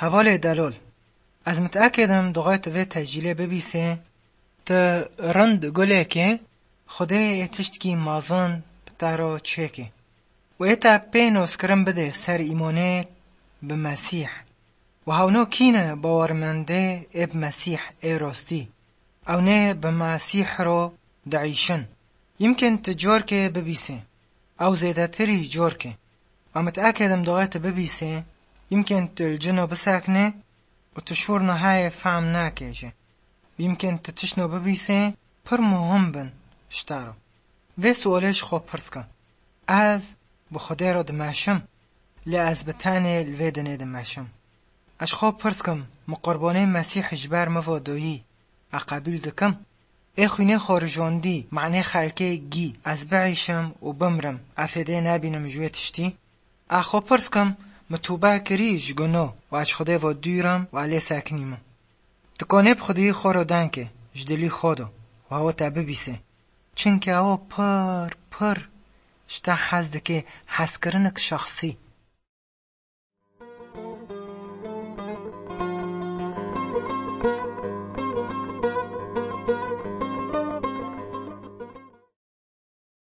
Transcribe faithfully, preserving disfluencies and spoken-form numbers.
Hevalê delol, ez mit'ekêdim duxê tu vê tecîlê bibîsê, tu rind gulekê, Xwedê ê tiştkî mezin bi te re çêkê. Û ê te pê noskirin bidê ser îmonê bi Mesîh. Û hewno kî ne bawermendê ê bi Mesîh ê rostî? Ew nê bi Mesîh ro diîşin. Yimkên tu corkê bibîsê. Ew zêdetirî corkê. Em mit'ekêdim duxê tu bibîsê, yimkên tu li cino biseknê û tu şûr nihayê fehm nake jê. Yimkên tu tiştno bibîsê, pir muhim bin ji te re. Vê sualê ji xwe pirs ke. Ez bi Xwedê re dimeşim, lê ez bi tenê li vê dinê dimeşim. Ez ji xwe pirs kim, min qurbanê Mesîh ji ber mivo doyî, e qebîl dikim? Ê xwînê xwe rijandî, manê xelkê gî, ez biîşim û bimrim, e fêdê nebînim ji wê tiştî? A xwe pirs kim, min tûbe kirî ji guno û ez ji Xwedê ve dûr im û lê sekinî min. Tu konê bi Xwedî xwe re denkê, ji dilî xwe de, û hewe te bibîsê. Çimkî ew pir, pir ji te hez dike, hezkirinek şexsî.